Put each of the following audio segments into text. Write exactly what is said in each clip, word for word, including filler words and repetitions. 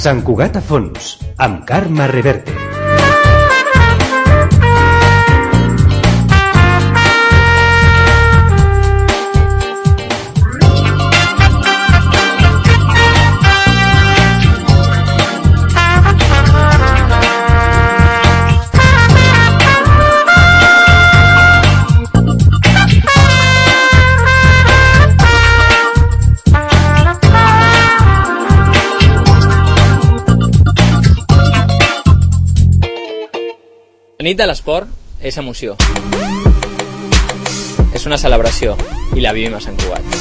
Sant Cugat a fons, amb Carme Reverte. La nit de l'esport és emoció. És una celebració i la vivim a Sant Cugat.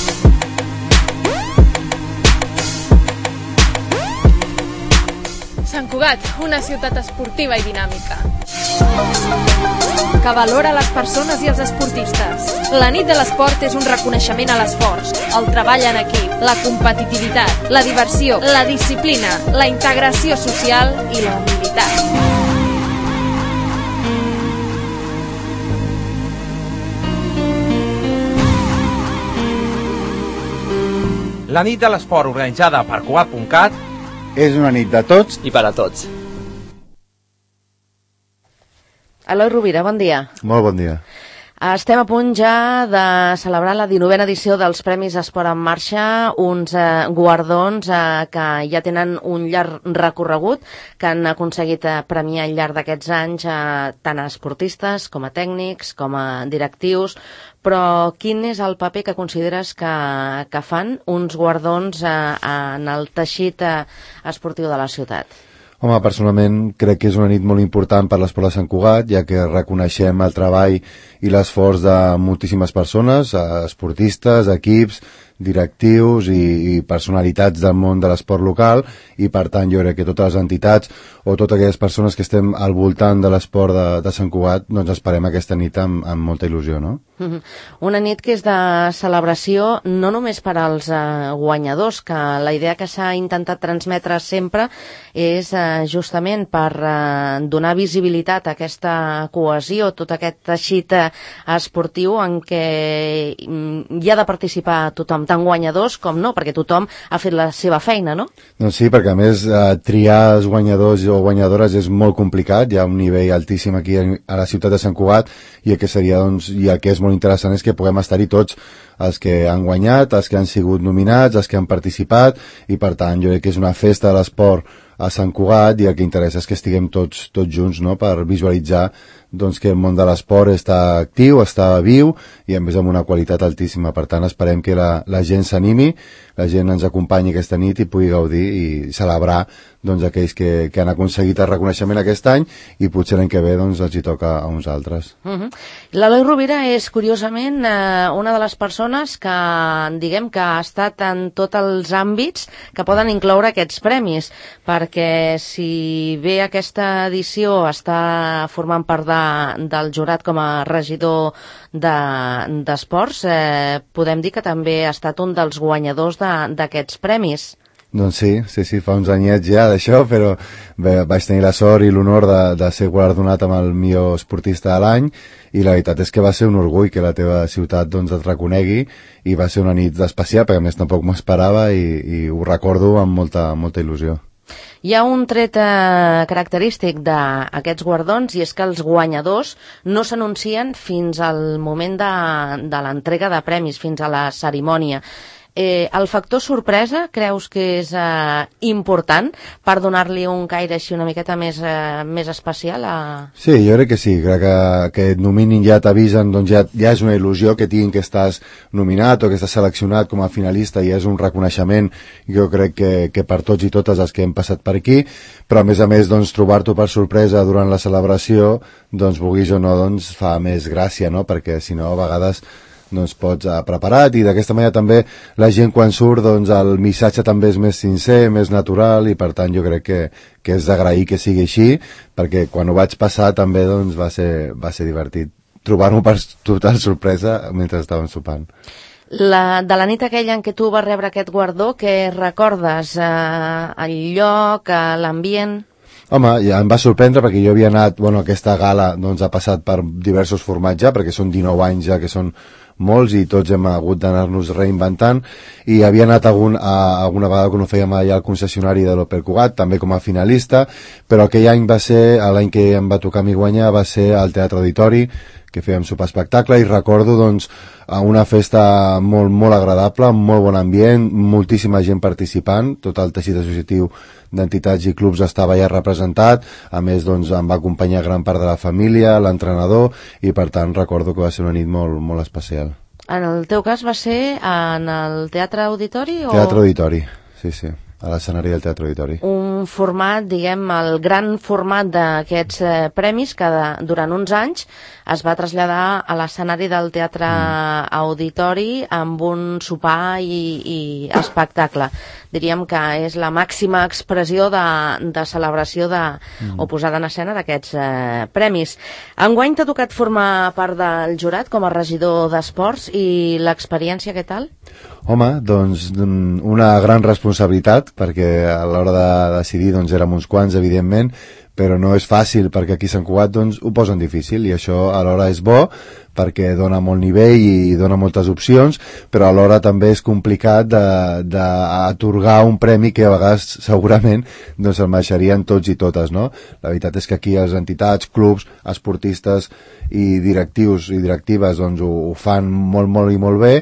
Sant Cugat, una ciutat esportiva i dinàmica, que valora les persones i els esportistes. La nit de l'esport és un reconeixement a l'esforç, el treball en equip, la competitivitat, la diversió, la disciplina, la integració social i la humilitat. La nit de l'esport organitzada per Cugat punt cat és una nit de tots i per a tots. Eloi Rovira, bon dia. Molt bon dia. Estem a punt ja de celebrar la dinovena edició dels Premis Esport en Marxa, uns eh, guardons eh, que ja tenen un llarg recorregut, que han aconseguit eh, premiar al llarg d'aquests anys eh, tant a esportistes com a tècnics, com a directius, però quin és el paper que consideres que, que fan uns guardons eh, en el teixit eh, esportiu de la ciutat? Home, personalment crec que és una nit molt important per l'esport de Sant Cugat, ja que reconeixem el treball i l'esforç de moltíssimes persones, esportistes, equips, directius i, i personalitats del món de l'esport local, i per tant jo crec que totes les entitats o totes aquelles persones que estem al voltant de l'esport de, de Sant Cugat, doncs esperem aquesta nit amb, amb molta il·lusió, no? Una nit que és de celebració no només per als eh, guanyadors, que la idea que s'ha intentat transmetre sempre és eh, justament per eh, donar visibilitat a aquesta cohesió, tot aquest teixit eh, esportiu en què hi ha de participar tothom, tant guanyadors com no, perquè tothom ha fet la seva feina, no? Doncs sí, perquè a més eh, triar els guanyadors o guanyadores és molt complicat, hi ha un nivell altíssim aquí a la ciutat de Sant Cugat, i el que seria, doncs, i el que és molt interessant és que puguem estar-hi tots, els que han guanyat, els que han sigut nominats, els que han participat, i per tant jo crec que és una festa de l'esport a Sant Cugat, i el que interessa és que estiguem tots tots junts, no?, per visualitzar doncs que el món de l'esport està actiu, està viu, i a més amb una qualitat altíssima. Per tant esperem que la, la gent s'animi, la gent ens acompanyi aquesta nit i pugui gaudir i celebrar doncs aquells que, que han aconseguit el reconeixement aquest any, i potser l'any que ve doncs els hi toca a uns altres. Uh-huh. L'Eloi Rovira és curiosament eh, una de les persones que, diguem, que ha estat en tots els àmbits que poden incloure aquests premis, perquè si bé aquesta edició està formant part de, del jurat com a regidor d'esports, de, eh, podem dir que també ha estat un dels guanyadors d'aquests premis. Doncs sí, sí, sí, fa uns anyets ja d'això, però bé, vaig tenir la sort i l'honor de, de ser guardonat amb el millor esportista de l'any, i la veritat és que va ser un orgull que la teva ciutat doncs et reconegui, i va ser una nit especial, perquè a més tampoc m'ho esperava, i, i ho recordo amb molta, molta il·lusió. Hi ha un tret eh, característic d'aquests guardons, i és que els guanyadors no s'anuncien fins al moment de, de l'entrega de premis, fins a la cerimònia. Eh, el factor sorpresa creus que és eh, important per donar-li un caire així una miqueta més, eh, més especial? A... Sí, jo crec que sí, crec que, que et nominin, ja t'avisen, doncs ja, ja és una il·lusió que tinguin que estàs nominat o que estàs seleccionat com a finalista, i és un reconeixement, jo crec que, que per tots i totes els que hem passat per aquí, però a més a més doncs, trobar-t'ho per sorpresa durant la celebració, doncs vulguis o no, doncs fa més gràcia, no?, perquè si no a vegades doncs pots uh, preparat, i d'aquesta manera també la gent quan surt, doncs el missatge també és més sincer, més natural, i per tant jo crec que, que és d'agrair que sigui així, perquè quan ho vaig passar també doncs va ser, va ser divertit trobar-m'ho per total sorpresa mentre estàvem sopant. La, de la nit aquella en què tu vas rebre aquest guardó, què recordes? Eh, el lloc, eh, l'ambient? Home, ja em va sorprendre perquè jo havia anat, bueno, aquesta gala doncs ha passat per diversos formats ja, perquè són dinou anys ja que són molts i tots hem hagut d'anar-nos reinventant, i havia anat algun, a, alguna vegada quan ho fèiem allà al concessionari de l'Opel Cugat, també com a finalista, però aquell any va ser, l'any que em va tocar a mi guanyar, va ser al Teatre Auditori, que fèiem sopar espectacle, i recordo doncs una festa molt, molt agradable, molt bon ambient, moltíssima gent participant, tot el teixit associatiu d'entitats i clubs estava ja representat, a més doncs em va acompanyar gran part de la família, l'entrenador, i per tant recordo que va ser una nit molt, molt especial. En el teu cas va ser en el Teatre Auditori? O... Teatre Auditori, sí, sí, a l'escenari del Teatre Auditori. Un format, diguem, el gran format d'aquests eh, premis que de, durant uns anys es va traslladar a l'escenari del Teatre mm. Auditori amb un sopar i, i espectacle. Diríem que és la màxima expressió de, de celebració de, mm. o posada en escena d'aquests eh, premis. Enguany t'ha tocat formar part del jurat com a regidor d'esports, i l'experiència què tal? Home, doncs una gran responsabilitat, perquè a l'hora de decidir doncs érem uns quants, evidentment, però no és fàcil, perquè aquí a Sant Cugat doncs, ho posen difícil, i això alhora és bo perquè dona molt nivell i dona moltes opcions, però alhora també és complicat d'atorgar un premi que a vegades segurament doncs, el mereixerien tots i totes, no? La veritat és que aquí les entitats, clubs, esportistes i directius i directives doncs, ho, ho fan molt, molt i molt bé,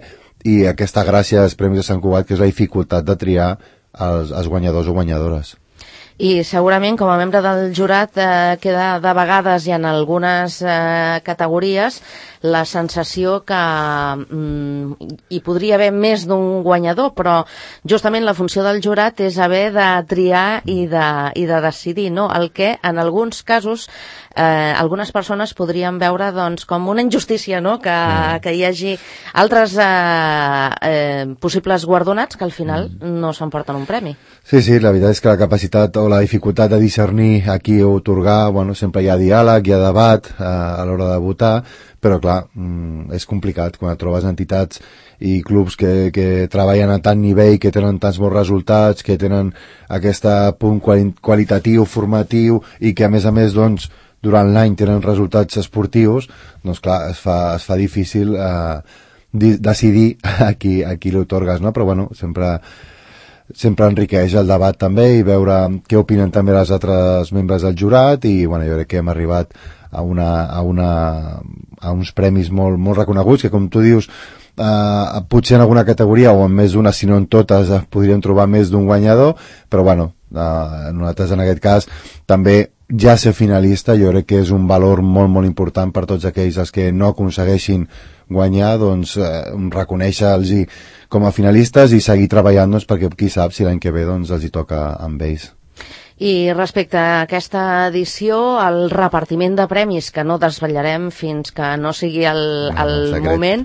i aquesta gràcia dels Premis de Sant Cugat, que és la dificultat de triar els, els guanyadors o guanyadores. I segurament com a membre del jurat eh, queda de vegades i en algunes eh, categories la sensació que mm, hi podria haver més d'un guanyador, però justament la funció del jurat és haver de triar i de, i de decidir, no? El que en alguns casos eh, algunes persones podrien veure doncs, com una injustícia, no? que, mm. que hi hagi altres eh, eh, possibles guardonats que al final mm. no s'emporten un premi. Sí, sí, la veritat és que la capacitat o la dificultat de discernir a qui otorgar, bueno, sempre hi ha diàleg, hi ha debat eh, a l'hora de votar, però clar, mm, és complicat quan et trobes entitats i clubs que, que treballen a tant nivell, que tenen tants bons resultats, que tenen aquest punt quali qualitatiu, formatiu, i que a més a més doncs, durant l'any tenen resultats esportius, doncs clar, es fa, es fa difícil eh, decidir a qui, a qui l'otorgues, no? Però bueno, sempre sempre enriqueix el debat també, i veure què opinen també els altres membres del jurat, i bueno, jo crec que hem arribat a, una, a, una, a uns premis molt, molt reconeguts, que com tu dius, eh, potser en alguna categoria o en més d'una, si no en totes, eh, podríem trobar més d'un guanyador, però bueno, eh, nosaltres en aquest cas també ja ser finalista jo crec que és un valor molt molt important per tots aquells els que no aconsegueixin guanyar, doncs eh, reconèixer-los com a finalistes i seguir treballant, doncs, perquè qui sap si l'any que ve doncs, els hi toca amb ells. I respecte a aquesta edició, el repartiment de premis, que no desvetllarem fins que no sigui el, el no, moment,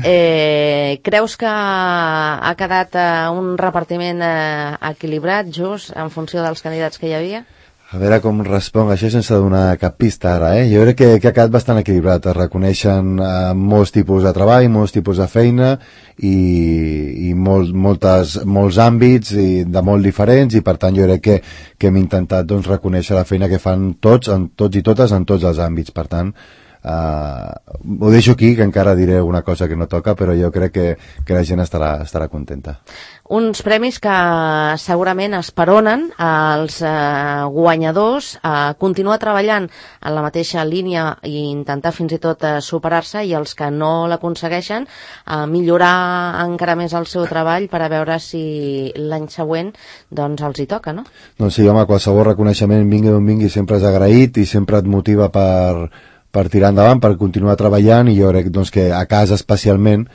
eh, creus que ha quedat eh, un repartiment eh, equilibrat, just, en funció dels candidats que hi havia? A veure com responc això sense donar cap pista ara, eh? Jo crec que, que ha quedat bastant equilibrat. Es reconeixen eh, molts tipus de treball, molts tipus de feina i, i molt, moltes, molts àmbits i de molt diferents, i per tant jo crec que, que hem intentat doncs, reconèixer la feina que fan tots, en, tots i totes en tots els àmbits. Per tant, eh, ho deixo aquí, que encara diré una cosa que no toca, però jo crec que, que la gent estarà, estarà contenta. Uns premis que segurament esperonen als eh, guanyadors a continuar treballant en la mateixa línia i intentar fins i tot eh, superar-se, i els que no l'aconsegueixen a millorar encara més el seu treball per a veure si l'any següent doncs els hi toca, no? Doncs sí, home, qualsevol reconeixement, vingui d'on vingui, sempre és agraït i sempre et motiva per, per tirar endavant, per continuar treballant, i jo crec doncs, que a casa especialment,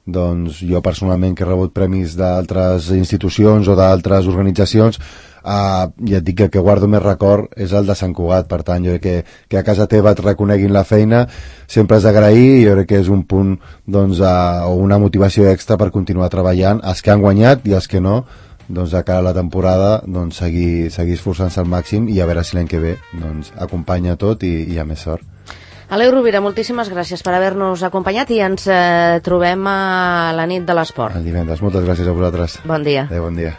doncs jo personalment, que he rebut premis d'altres institucions o d'altres organitzacions, eh, ja et dic que el que guardo més record és el de Sant Cugat. Per tant, jo crec que, que a casa teva et reconeguin la feina sempre és d'agrair, i jo crec que és un punt doncs, eh, o una motivació extra per continuar treballant, els que han guanyat i els que no, doncs de cara a la temporada doncs, seguir, seguir esforçant-se al màxim, i a veure si l'any que ve doncs, acompanya tot i, i hi ha més sort. Aleu Rovira, moltíssimes gràcies per haver-nos acompanyat, i ens eh, trobem a la nit de l'esport. El divendres. Moltes gràcies a vosaltres. Bon dia. Adéu, bon dia.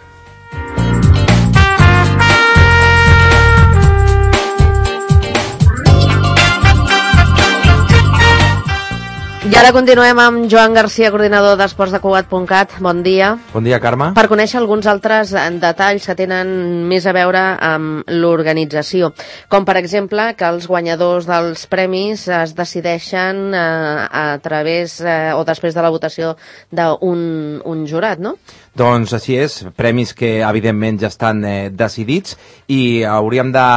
Ja ara continuem amb Joan Garcia, coordinador d'Esports de Cugat punt cat. Bon dia. Bon dia, Carme. Per conèixer alguns altres detalls que tenen més a veure amb l'organització, com per exemple que els guanyadors dels premis es decideixen eh, a través eh, o després de la votació d'un un jurat, no? Doncs així és, premis que evidentment ja estan eh, decidits i hauríem de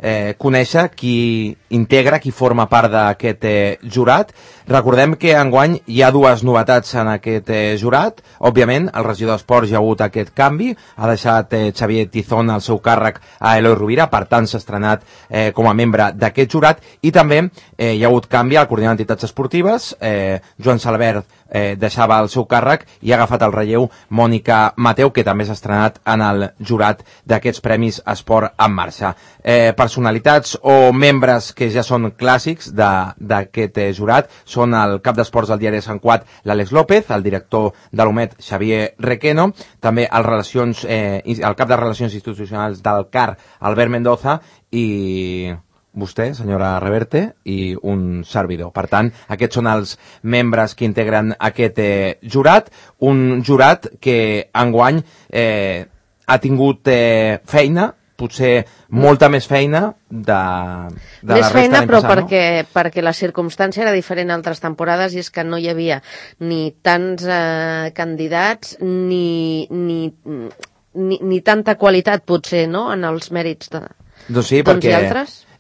eh, conèixer qui integra, qui forma part d'aquest eh, jurat. Recordem que enguany hi ha dues novetats en aquest eh, jurat. Òbviament, el regidor d'Esports ja ha hagut aquest canvi, ha deixat eh, Xavier Tizón el seu càrrec a Eloi Rovira, per tant s'ha estrenat eh, com a membre d'aquest jurat, i també eh, hi ha hagut canvi al coordinador d'entitats esportives, eh, Joan Salvert eh, deixava el seu càrrec i ha agafat el relleu Mònica Mateu, que també s'ha estrenat en el jurat d'aquests Premis Esport en Marxa. Eh, personalitats o membres que ja són clàssics d'aquest eh, jurat són el cap d'esports del diari de Sant Cugat, l'Àlex López, el director de l'U M E T, Xavier Requeno, també el, relacions, eh, el cap de Relacions Institucionals del C A R, Albert Mendoza, i vostè, senyora Reverte, i un servidor. Per tant, aquests són els membres que integren aquest eh, jurat, un jurat que enguany eh, ha tingut eh, feina, potser molta més feina de, de més la resta feina, d'any però passat, perquè, no? perquè la circumstància era diferent a altres temporades i és que no hi havia ni tants eh, candidats ni, ni, ni, ni tanta qualitat, potser, no?, en els mèrits de... Doncs sí, perquè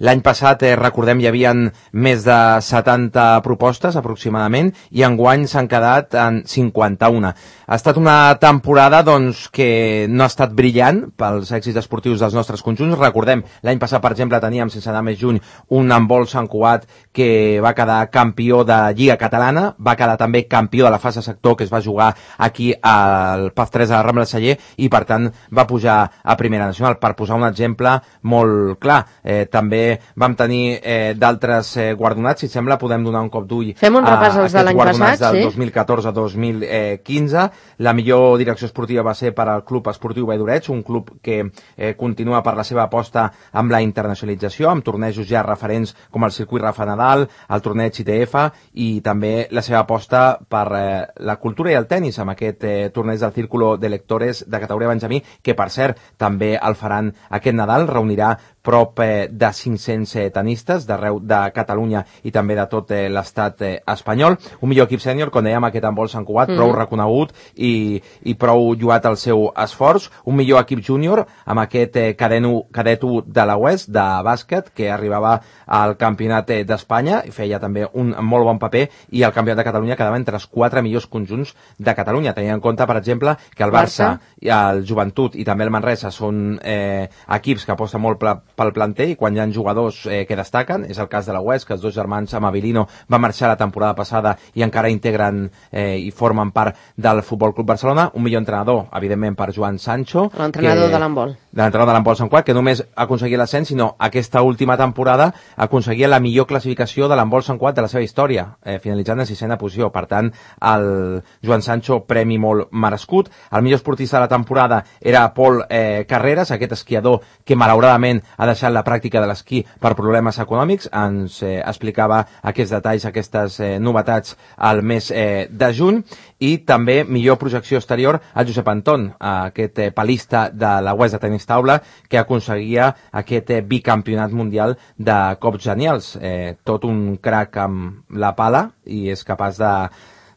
l'any passat, eh, recordem, hi havia més de setanta propostes aproximadament i enguany s'han quedat en cinquanta-una. Ha estat una temporada doncs, que no ha estat brillant pels èxits esportius dels nostres conjunts. Recordem, l'any passat, per exemple, teníem, sense anar més lluny, un handbol Sant Cugat que va quedar campió de Lliga Catalana, va quedar també campió de la fase sector que es va jugar aquí al P A F tres a la Rambla de Celler i, per tant, va pujar a Primera Nacional. Per posar un exemple molt clar, eh, també vam tenir eh, d'altres eh, guardonats, si et sembla podem donar un cop d'ull Fem un repàs als de l'any passat, del sí? dos mil catorze a dos mil quinze. La millor direcció esportiva va ser per al Club Esportiu Valldoreig, un club que eh, continua per la seva aposta amb la internacionalització, amb tornejos ja referents com el circuit Rafa Nadal, el torneig I T F i també la seva aposta per eh, la cultura i el tennis amb aquest eh, torneig del Círculo de Lectores de categoria Benjamí, que per cert també el faran aquest Nadal, reunirà prop eh, de cinc-cents eh, tenistes d'arreu de Catalunya i també de tot eh, l'estat eh, espanyol. Un millor equip sènior, com dèiem, aquest handbol Sant Cugat, mm. prou reconegut i, i prou lloat el seu esforç. Un millor equip júnior amb aquest eh, cadet u de la Oest, de bàsquet, que arribava al campionat eh, d'Espanya i feia també un molt bon paper, i el campionat de Catalunya quedava entre els quatre millors conjunts de Catalunya, tenint en compte, per exemple, que el Barça, Barça. i el Joventut i també el Manresa són eh, equips que aposten molt pel planter i quan hi ha jugadors eh, que destaquen. És el cas de la U E S, que els dos germans Amabilino van marxar la temporada passada i encara integren eh, i formen part del Futbol Club Barcelona. Un millor entrenador, evidentment, per Joan Sancho, l'entrenador de l'handbol. L'entrenador de l'handbol Sant Cugat, que només aconseguia l'ascens, sinó aquesta última temporada aconseguia la millor classificació de l'handbol Sant Cugat de la seva història, eh, finalitzant en sisena posició. Per tant, el Joan Sancho, premi molt merescut. El millor esportista de la temporada era Pol eh, Carreras, aquest esquiador que malauradament ha deixat la pràctica de l'esquí per problemes econòmics. Ens eh, explicava aquests detalls, aquestes eh, novetats al mes eh, de juny. I també millor projecció exterior a Josep Anton, aquest eh, palista de la U E S de tenis taula que aconseguia aquest eh, bicampionat mundial de cops genials. Eh, tot un crac amb la pala i és capaç de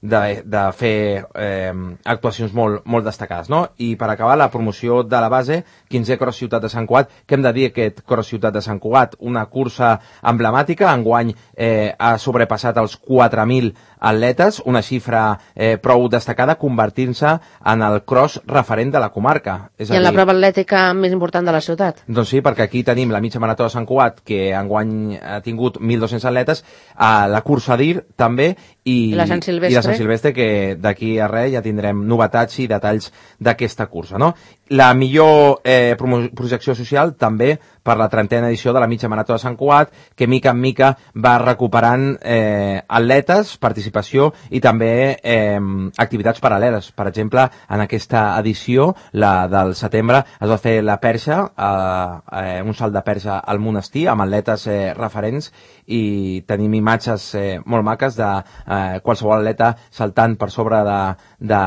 De, de fer eh, actuacions molt, molt destacades, no? I per acabar, la promoció de la base, quinzè Cross Ciutat de Sant Cugat. Què hem de dir aquest Cross Ciutat de Sant Cugat? Una cursa emblemàtica, enguany eh, ha sobrepassat els quatre mil atletes, una xifra eh, prou destacada, convertint-se en el cross referent de la comarca. És I en dir, la prova atlètica més important de la ciutat. Doncs sí, perquè aquí tenim la mitja marató de Sant Cugat, que enguany ha tingut mil dos-cents atletes, a la cursa d'Ir també, i, I la Sant Silvestre. I la Sant Silvestre, que d'aquí a res ja tindrem novetats i detalls d'aquesta cursa, no? La millor eh, projecció social també per la trentena edició de la mitja marató de Sant Cugat, que mica en mica va recuperant eh, atletes, participació i també eh, activitats paral·leles. Per exemple, en aquesta edició, la del setembre, es va fer la perxa, eh, eh, un salt de perxa al monestir, amb atletes eh, referents, i tenim imatges eh, molt maques de eh, qualsevol atleta saltant per sobre de, de,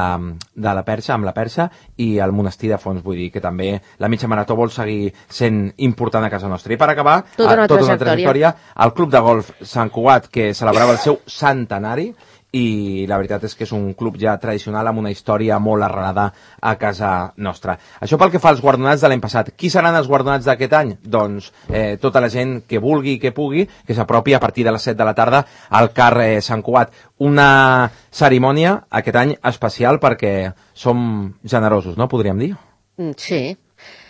de la perxa, amb la perxa, i el monestir de fons, vull dir que també la mitja marató vol seguir sent important a casa nostra. I per acabar, tota una, eh, tota una trajectòria, el Club de Golf Sant Cugat, que celebrava el seu centenari, i la veritat és que és un club ja tradicional amb una història molt arrelada a casa nostra. Això pel que fa als guardonats de l'any passat. Qui seran els guardonats d'aquest any? Doncs eh, tota la gent que vulgui i que pugui, que s'apropi a partir de les set de la tarda al C A R eh, Sant Cugat. Una cerimònia aquest any especial perquè som generosos, no? Podríem dir? Sí.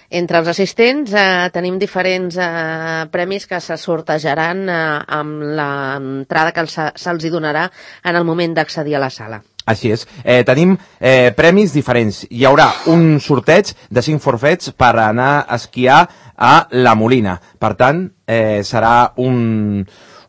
Entre els assistents eh, tenim diferents eh, premis que se sortejaran eh, amb l'entrada que se, se'ls hi donarà en el moment d'accedir a la sala. Així és. Eh, tenim eh, premis diferents. Hi haurà un sorteig de cinc forfets per anar a esquiar a La Molina. Per tant, eh, serà un,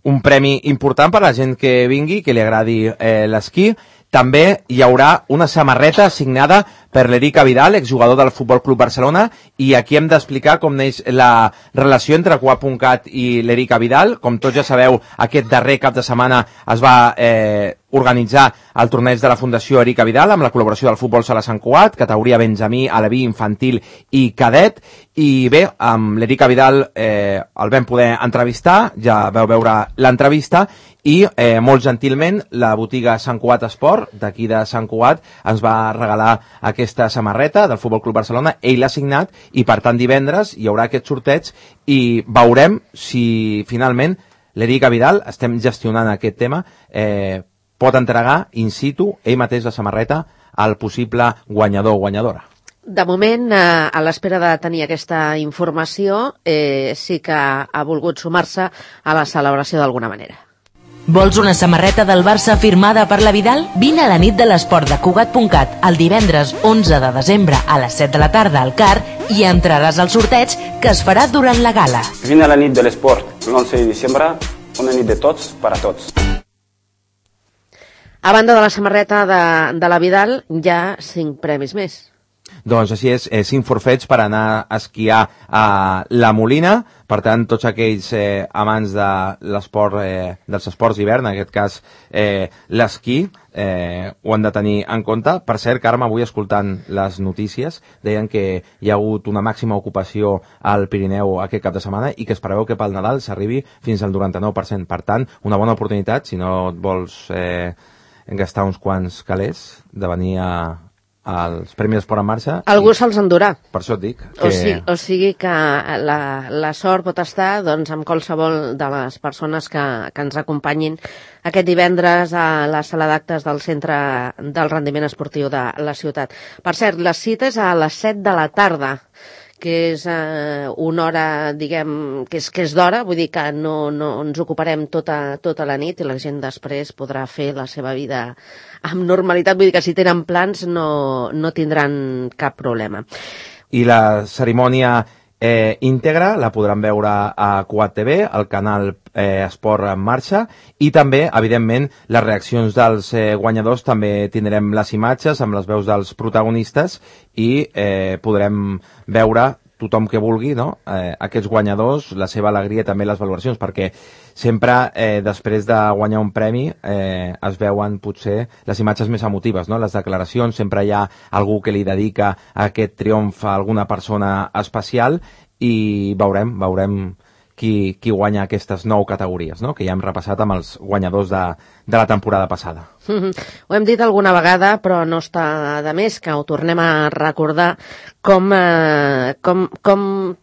un premi important per a la gent que vingui, que li agradi eh, l'esquí. També hi haurà una samarreta signada per l'Eric Vidal, exjugador del Futbol Club Barcelona, i aquí hem d'explicar com neix la relació entre Cugat punt cat i l'Eric Vidal. Com tots ja sabeu, aquest darrer cap de setmana es va eh, organitzar el torneig de la Fundació Eric Vidal amb la col·laboració del Futbol Sala Sant Cugat, categoria Benjamí, Aleví, Infantil i Cadet. I bé, amb l'Eric Vidal eh, el vam poder entrevistar, ja veu veure l'entrevista, i eh, molt gentilment la botiga Sant Cugat Esport, d'aquí de Sant Cugat, ens va regalar aquesta samarreta del Futbol Club Barcelona. Ell l'ha signat i per tant divendres hi haurà aquest sorteig i veurem si finalment l'Eric Vidal, estem gestionant aquest tema, eh, pot entregar in situ ell mateix la samarreta al possible guanyador o guanyadora. De moment, eh, a l'espera de tenir aquesta informació, eh, sí que ha volgut sumar-se a la celebració d'alguna manera. Vols una samarreta del Barça firmada per la Vidal? Vine a la nit de l'esport de Cugat punt cat el divendres onze de desembre a les set de la tarda al C A R i entraràs al sorteig que es farà durant la gala. Vine a la nit de l'esport l'onze de desembre, una nit de tots per a tots. A banda de la samarreta de, de la Vidal, hi ha cinc premis més. Doncs així és, eh, cinc forfets per anar a esquiar a La Molina. Per tant, tots aquells eh, amants de l'esport, eh, dels esports d'hivern, en aquest cas eh, l'esquí, eh, ho han de tenir en compte. Per cert, Carme, avui escoltant les notícies, deien que hi ha hagut una màxima ocupació al Pirineu aquest cap de setmana i que es preveu que pel Nadal s'arribi fins al noranta-nou per cent. Per tant, una bona oportunitat, si no et vols eh, gastar uns quants calés, de venir a als Premis Esport en Marxa. Algú se'ls endurà. Per això et dic. Que... O, sigui, o sigui que la, la sort pot estar doncs, amb qualsevol de les persones que, que ens acompanyin aquest divendres a la sala d'actes del Centre del Rendiment Esportiu de la ciutat. Per cert, les cites a les set de la tarda, que és eh, una hora, diguem, que és, que és d'hora, vull dir que no, no ens ocuparem tota, tota la nit i la gent després podrà fer la seva vida amb normalitat, vull dir que si tenen plans no, no tindran cap problema. I la cerimònia eh, íntegra la podran veure a Cugat T V, al canal eh, Esport en Marxa, i també, evidentment, les reaccions dels eh, guanyadors. També tindrem les imatges amb les veus dels protagonistes i eh, podrem veure tothom que vulgui, no? eh, aquests guanyadors, la seva alegria, també les valoracions, perquè sempre eh, després de guanyar un premi eh, es veuen potser les imatges més emotives, no? Les declaracions, sempre hi ha algú que li dedica a aquest triomf a alguna persona especial i veurem, veurem qui, qui guanya aquestes nou categories, no? Que ja hem repassat amb els guanyadors de, de la temporada passada. Ho hem dit alguna vegada, però no està de més que ho tornem a recordar com, eh, com, com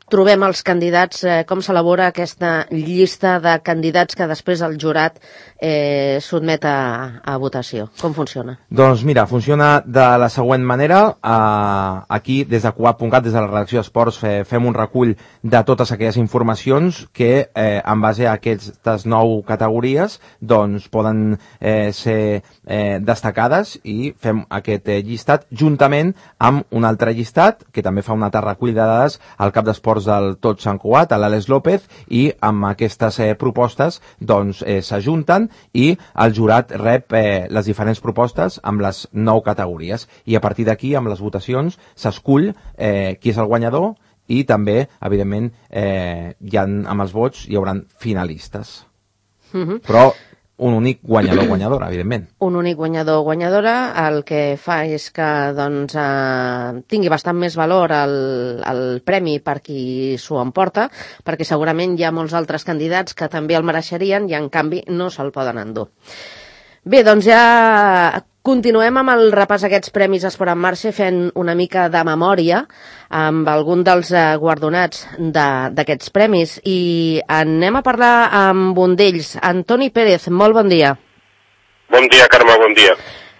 trobem els candidats, eh, com s'elabora aquesta llista de candidats que després el jurat eh, sotmet a, a votació. Com funciona? Doncs mira, funciona de la següent manera. Eh, aquí, des de Cugat punt cat, des de la redacció d'Esports, eh, fem un recull de totes aquelles informacions que, eh, en base a aquestes nou categories, doncs poden eh, ser eh, destacades, i fem aquest eh, llistat juntament amb un altre llistat que també fa un altre recull de dades al cap d'esports del Tot Sant Cugat, a l'Àlex López, i amb aquestes eh, propostes doncs eh, s'ajunten i el jurat rep eh, les diferents propostes amb les nou categories, i a partir d'aquí, amb les votacions, s'escull eh, qui és el guanyador, i també, evidentment, eh, hi ha, amb els vots hi haurà finalistes. Uh-huh. Però un únic guanyador guanyadora, evidentment. Un únic guanyador guanyadora, el que fa és que doncs, eh, tingui bastant més valor el, el premi per qui s'ho emporta, perquè segurament hi ha molts altres candidats que també el mereixerien i en canvi no se'l poden endur. Bé, doncs ja continuem amb el repàs d'aquests Premis Esport en Marxa fent una mica de memòria amb algun dels eh, guardonats d'aquests premis i anem a parlar amb un d'ells. Antoni Pérez, molt bon dia. Bon dia, Carme, bon dia.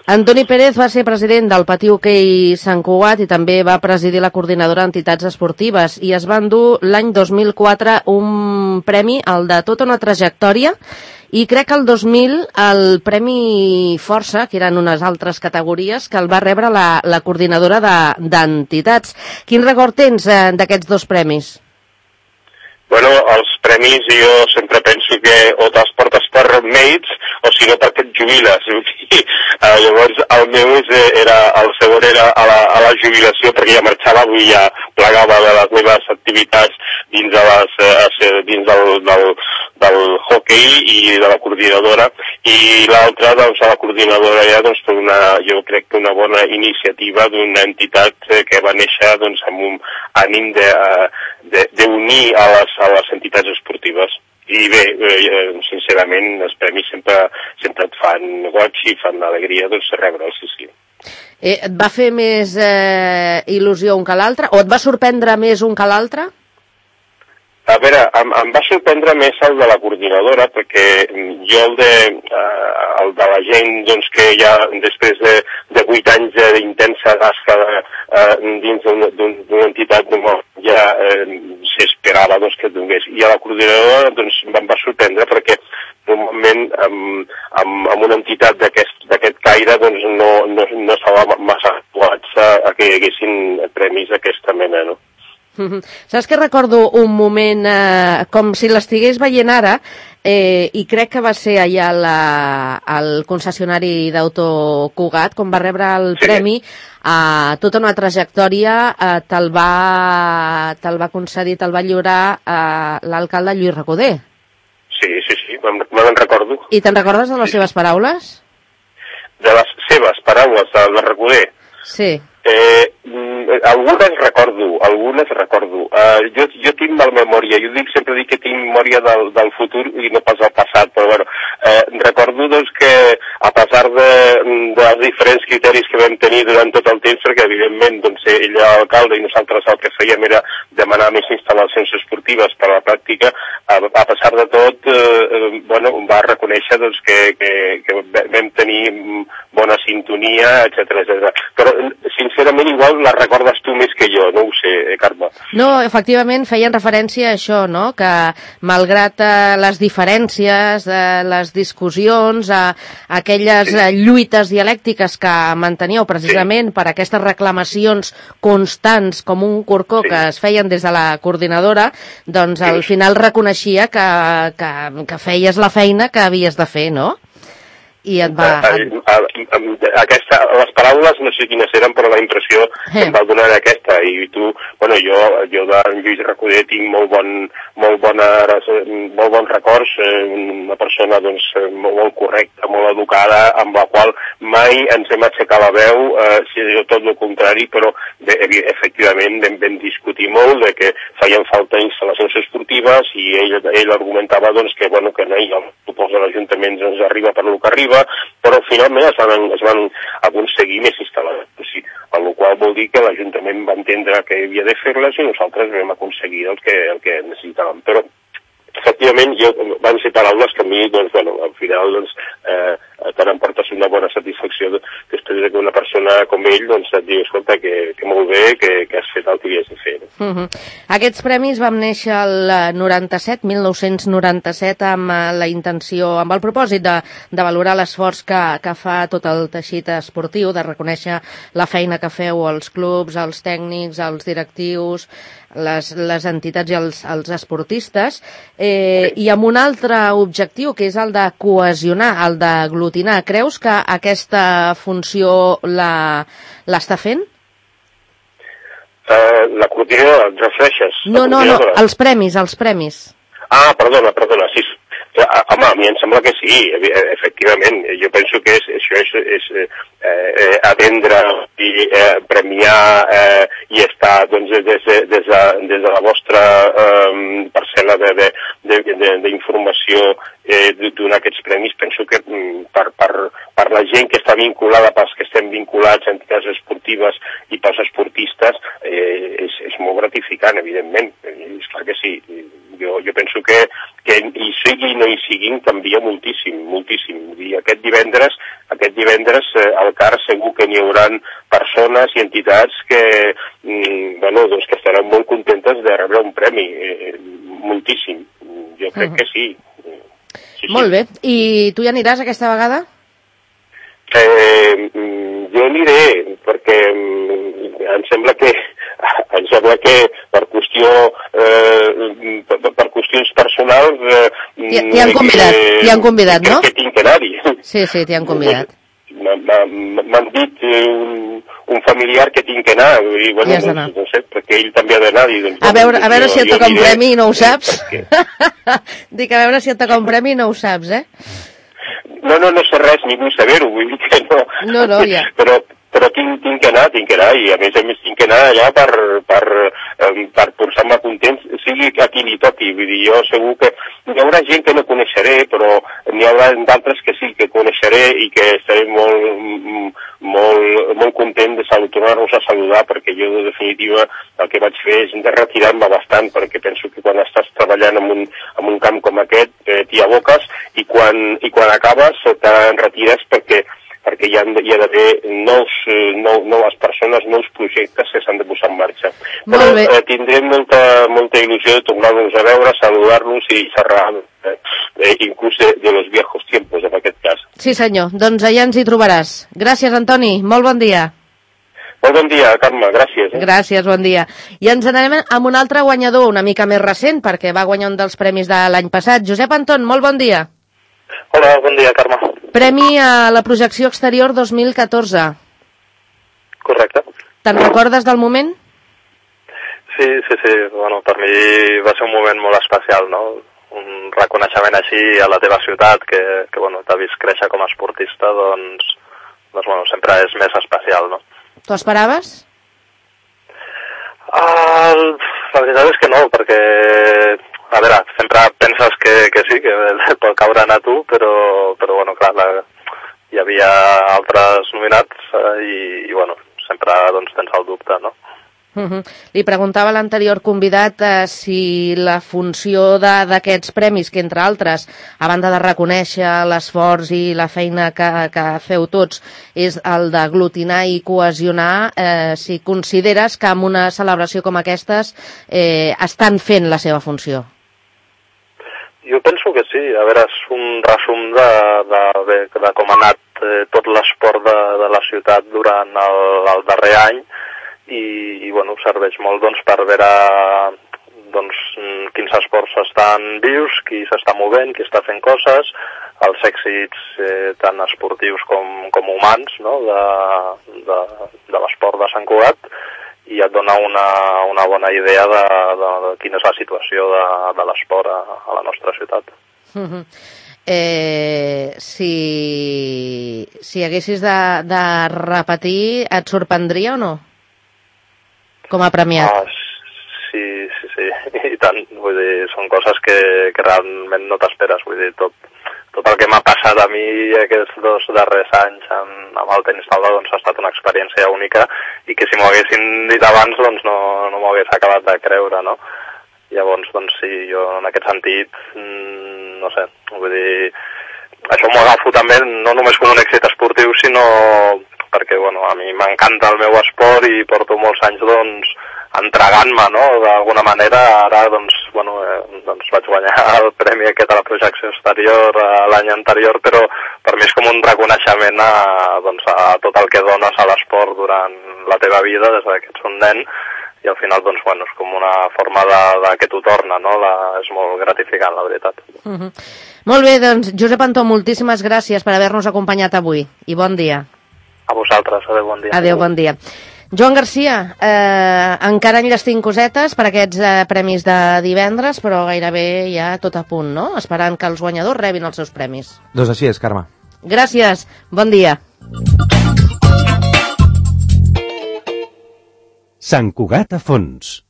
Antoni Pérez va ser president del Patí Hoquei Sant Cugat i també va presidir la coordinadora d'entitats esportives i es va endur l'any dos mil quatre un premi, el de tota una trajectòria, i crec que el dos mil el Premi Força, que eren unes altres categories, que el va rebre la, la coordinadora d'entitats. De, Quin record tens eh, d'aquests dos premis? Bueno, els premis jo sempre penso que o te'ls portes per mèrits o si no perquè et jubiles. uh, llavors el meu és, era, el segon era a la, a la jubilació perquè ja marxava, avui ja plegava de les meves activitats dins, de les, uh, dins del, del, del hockey i de la coordinadora i l'altra doncs a la coordinadora ja doncs per una, jo crec que una bona iniciativa d'una entitat que va néixer doncs amb un ànim de, de, de unir a les, a les entitats esportives. I bé, eh, sincerament, els premis sempre, sempre et fan goig i fan alegria doncs, rebre'ls, sí, sí. Eh, et va fer més eh, il·lusió un que l'altre? O et va sorprendre més un que l'altre? A veure, em, em va sorprendre més el de la coordinadora, perquè jo el de, eh, el de la gent doncs, que ja després de, de vuit anys d'intensa tasca eh, dins d'una entitat ja eh, s'esperava doncs, que donés. I a la coordinadora doncs, em va sorprendre perquè normalment amb, amb, amb una entitat d'aquest caire doncs, no, no, no estava massa actuats a, a que hi haguessin premis d'aquesta mena, no? Mm-hmm. Saps que recordo un moment eh, com si l'estigués veient ara eh, i crec que va ser allà la, al concessionari d'Auto Cugat quan va rebre el sí. premi a eh, tota una trajectòria eh, te'l va, te'l va concedir, te'l va lliurar eh, l'alcalde Lluís Recoder. Sí, sí, sí, me'n recordo. I te'n recordes de les sí. seves paraules? De les seves paraules, de la Recoder? Sí. Eh, algunes recordo, algunes recordo. Uh, jo, jo tinc mal memòria, jo dic, sempre dic que tinc memòria del, del futur i no pas del passat, però bueno, eh, recordo doncs que a pesar de, dels diferents criteris que vam tenir durant tot el temps, perquè evidentment doncs, ell era l'alcalde i nosaltres el que fèiem era demanar més instal·lacions esportives per a la pràctica, a, a pesar de tot, eh, bueno, va reconèixer doncs, que, que, que vam tenir bona sintonia, etcètera, etcètera. Però, sincerament, igual la recordes tu més que jo, no ho sé, eh, Carme. No, efectivament, feien referència a això, no?, que malgrat eh, les diferències, eh, les discussions, eh, aquelles sí. eh, lluites dialèctiques que manteníeu precisament sí. per aquestes reclamacions constants com un corcó sí. que es feien des de la coordinadora, doncs sí. al final reconeixia que, que, que feies la feina que havies de fer, no? I et va... Aquesta, les paraules no sé quines eren, però la impressió eh. em va donar aquesta. I tu, bueno, jo, jo de Lluís Recoder tinc molt bon, molt bona, molt bons records, una persona doncs molt correcta, molt educada, amb la qual mai ens hem aixecat la veu, eh, si tot el contrari, però de, efectivament vam, vam discutir molt de que feien falta instal·lacions esportives i ell, ell argumentava doncs que, bueno, que no hi ha el pressupost de l'Ajuntament ens arriba per lo que arriba, però finalment es van, es van aconseguir més instal·lacions, o sigui, el qual vol dir que l'Ajuntament va entendre que havia de fer-les i nosaltres vam aconseguir el que, el que necessitàvem. Però, efectivament, jo, van ser paraules que a mi, doncs, bueno, al final, doncs, eh, te n'emportes una bona satisfacció després que una persona com ell, doncs, et diu, escolta, que, que molt bé, que, que has fet el que havies de fer. Uh -huh. Aquests premis vam néixer el noranta-set, mil nou-cents noranta-set, amb la intenció, amb el propòsit de, de valorar l'esforç que, que fa tot el teixit esportiu, de reconèixer la feina que feu els clubs, els tècnics, els directius, les, les entitats i els, els esportistes, eh, i amb un altre objectiu, que és el de cohesionar, el d'aglutinar. Creus que aquesta funció l'està fent? Uh, la coordinadora, et refereixes? No, no, no, els premis, els premis. Ah, perdona, perdona, sí. Home, a mi em sembla que sí, efectivament. Jo penso que és, això és, és eh, atendre i eh, premiar eh, i estar doncs, des, de, des, de, des de la vostra eh, parcel·la d'informació eh, donar aquests premis. Penso que per, per, per la gent que està vinculada, pels que estem vinculats a entitats esportives i pels esportistes, eh, és, és molt gratificant, evidentment. És clar que sí. Jo, jo penso que, que hi sigui i no hi siguin canvia moltíssim, moltíssim. I aquest divendres, aquest divendres eh, al C A R segur que n'hi haurà persones i entitats que, mm, bueno, doncs que estaran molt contentes de rebre un premi, eh, moltíssim. Jo crec uh-huh. que sí. sí. Molt bé. I tu hi aniràs aquesta vegada? Eh, jo aniré, perquè em sembla que em sembla que per qüestió eh, per, per qüestions personals eh, t'hi han convidat, t'hi han convidat, no? Que tinc que anar-hi. Sí, sí, t'hi han convidat. M'han dit un, un familiar que tinc que anar i bueno, I has d'anar. No sé, perquè ell també ha d'anar. Doncs, a veure, a veure jo, si et toca un premi i no ho saps. Dic, a veure si et toca un premi i no ho saps, eh? No, no, no sé res, ni vull saber-ho, vull dir que no. No, no, ja. Però, però tinc, tinc que anar, tinc que anar, i a més a més tinc que anar allà per, per, per posar-me content, sigui a qui li toqui. Vull dir, jo segur que hi haurà gent que no coneixeré, però n'hi haurà d'altres que sí que coneixeré i que estaré molt, molt, molt content de tornar-los a saludar, perquè jo, de definitiva, el que vaig fer és de retirar-me bastant, perquè penso que quan estàs treballant en un, en un camp com aquest, eh, t'hi aboques, i quan, i quan acabes te'n retires perquè perquè hi ha, hi ha d'haver nous, nou, noves persones, nous projectes que s'han de posar en marxa. Però eh, tindré molta, molta il·lusió de tornar-nos a veure, saludar-nos i xerrar, eh, inclús de, de los viejos tiempos, en aquest cas. Sí, senyor. Doncs allà ens hi trobaràs. Gràcies, Antoni. Molt bon dia. Molt bon dia, Carme. Gràcies. Eh? Gràcies, bon dia. I ens anem amb un altre guanyador, una mica més recent, perquè va guanyar un dels premis de l'any passat. Josep Anton, molt bon dia. Hola, bon dia, Carme. Premi a la projecció exterior dos mil catorze. Correcte. Te'n recordes del moment? Sí, sí, sí. Bueno, per mi va ser un moment molt especial, no? Un reconeixement així a la teva ciutat, que, que bueno, t'ha vist créixer com a esportista, doncs, doncs bueno, sempre és més especial, no? T'ho esperaves? Uh, la veritat és que no, perquè, a veure, sempre penses que, que sí, que pot caure a tu, però, però bueno, clar, la, hi havia altres nominats uh, i, i, bueno, sempre doncs, tens el dubte, no? Uh-huh. Li preguntava a l'anterior convidat eh, si la funció d'aquests premis, que entre altres, a banda de reconèixer l'esforç i la feina que, que feu tots, és el d'aglutinar i cohesionar, eh, si consideres que amb una celebració com aquestes eh, estan fent la seva funció. Jo penso que sí. A veure, és un resum de, de, de, de com ha anat eh, tot l'esport de, de la ciutat durant el, el darrer any, i, i bueno, serveix molt doncs, per veure doncs, quins esports estan vius, qui s'està movent, qui està fent coses, els èxits eh, tant esportius com, com humans, no? de, de, de l'esport de Sant Cugat, i et dona una, una bona idea de, de, de quina és la situació de, de l'esport a, a la nostra ciutat. Uh-huh. Eh, si, si haguessis de, de repetir, et sorprendria o no? Com a premiat. Ah, sí, sí, sí, i tant. Vull dir, són coses que, que realment no t'esperes. Vull dir, tot, tot el que m'ha passat a mi aquests dos darrers anys amb, amb el tenis taula doncs, ha estat una experiència única i que si m'ho haguessin dit abans doncs no, no m'ho hagués acabat de creure, no? Llavors, doncs sí, jo en aquest sentit, mmm, no sé, vull dir, això m'ho agafo també no només com un èxit esportiu, sinó perquè, bueno, a mi m'encanta el meu esport i porto molts anys, doncs, entregant-me, no?, d'alguna manera. Ara, doncs, bueno, eh, doncs vaig guanyar el premi aquest a la projecció exterior eh, l'any anterior, però per mi és com un reconeixement a, doncs, a tot el que dones a l'esport durant la teva vida, des que ets un nen, i al final, doncs, bueno, és com una forma de, de que t'ho torna, no?, la, és molt gratificant, la veritat. Uh-huh. Molt bé, doncs, Josep Antó, moltíssimes gràcies per haver-nos acompanyat avui, i bon dia. A vosaltres, adeu, bon dia. Adeu, bon dia. Joan Garcia, eh, encara enllestim cosetes per aquests eh, premis de divendres, però gairebé ja tot a punt, no? Esperant que els guanyadors rebin els seus premis. Doncs així és, Carme. Gràcies, bon dia. Sant Cugat a fons.